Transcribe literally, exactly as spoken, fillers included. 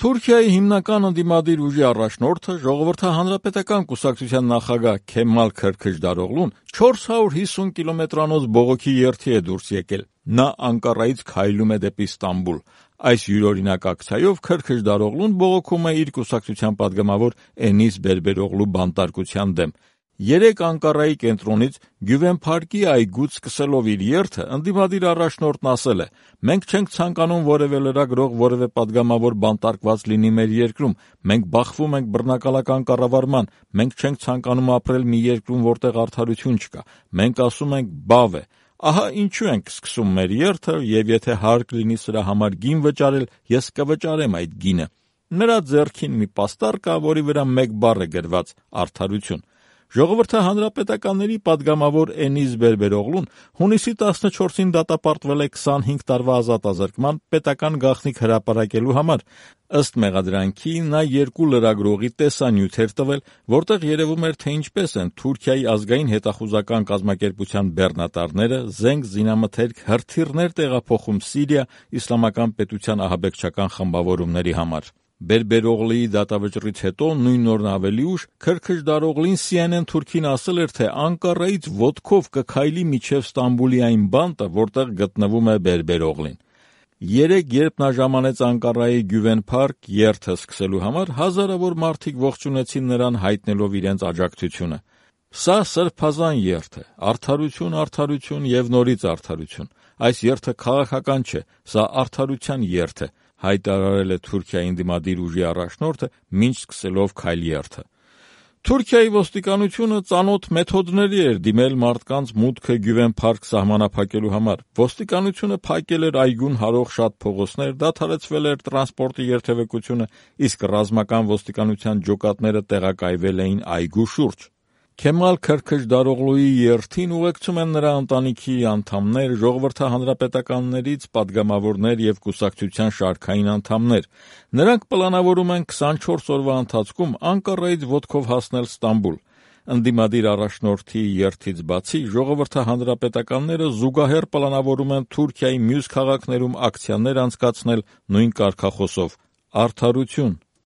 Թուրքիայի հիմնական ընդդիմադիր ուժի առաջնորդը Ժողովրդահանրապետական կուսակցության նախագահ Քեմալ Քրքչդարօղլուն չորս հարյուր հիսուն կիլոմետրանոց բողոքի երթի է դուրս եկել։ Նա Անկարայից քայլում է դեպի Ստամբուլ։ Այս յուրօրինակ ակցիայով Քրքչդարօղլուն բողոքում է իր կուսակցության պատգամավոր Էնիս Բերբերօղլու բանտարկության դեմ։ Երեկ Անկարայի կենտրոնից Գյուվեն Փարքի այգուց սկսելով իր երթը ընդդիմադիր առաջնորդն ասել է. «Մենք չենք ցանկանում որևէ լրագրող, որևէ պատգամավոր բանտարկված լինի մեր երկրում, մենք բախվում ենք բռնակալական կառավարման, մենք չենք ցանկանում ապրել մի երկրում, որտեղ արդարություն չկա, մենք ասում ենք բավ է, ահա ինչու ենք սկսում մեր երթը և եթե հարկ լինի սրա համար գին վճարել, ես կվճարեմ այդ գինը»։ Նրա ձեռքին մի պաստառ կա, որի վրա մեկ բառ է գրված՝ արդարություն։ Ժողովրդահանրապետականների պատգամավոր Էնիս Բերբերօղլուն հունիսի տասնչորսին դատապարտվել է քսանհինգ տարվա ազատազրկման պետական գաղտնիք հրապարակելու համար։ Ըստ մեղադրանքի նա երկու լրագրողի տեսանյութ էր տվել, որտեղ երևում էր, թե ինչպես են Թուրքիայի ազգային հետախուզական կազմակերպության բեռնատարները զենք, զինամթերք, հրթիռներ տեղափոխում Սիրիա իսլամական պետության ահաբեկչական խմբավորումների համար։ Բերբերօղլուի դատավճռից հետո նույն օրն ավելի ուշ Քրքչդարօղլին Սի Են Են թուրքին ասել էր, թե Անկարայից ոտքով կքայլի մինչև Ստամբուլի այն բանտը, որտեղ գտնվում է Բերբերօղլին։ Երեկ, երբ նա ժամանեց Անկարայի Գյուվեն Փարք երթը սկսելու համար, հազարավոր մարդիկ ողջունեցին նրան հայտնելով իրենց աջակցությունը։ Սա սրբազան երթ է, արդարություն, արդարություն և նորից արդարություն։ Այս երթը քաղաքական չէ, սա արդարության երթ է, հայտարարել է Թուրքիայի ընդդիմադիր ուժի առաջնորդը, մինչ սկսելով քայլերթը։ Թուրքիայի ոստիկանությունը ծանոթ մեթոդների էր դիմել մարդկանց մուտքը Գյուվեն Փարք սահմանափակելու համար։ Ոստիկանությունը փակել էր այգուն հարող շատ փողոցներ, դադարեցվել էր տրանսպորտի երթևեկությունը, իսկ ռազմական ոստիկանության ջոկատները տեղակայվել էին այգու շուրջ։ Քեմալ Քրքչդարօղլուի երթին ուղեկցում են նրա ընտանիքի անդամներ, ժողովրդահանրապետականներից պատգամավորներ և կուսակցության շարքային անդամներ։ Նրանք պլանավորում են քսանչորս օրվա ընթացքում Անկարայից ոտքով հասնել Ստամբուլ։ Ընդդիմադիր առաջնորդի երթից բացի ժողովրդահանրապետականները զուգահեռ պլանավորում են Թուրքիայի մյուս քաղաքներում ակցիաներ անցկացնել նույն կարգախոսով՝ արդարություն,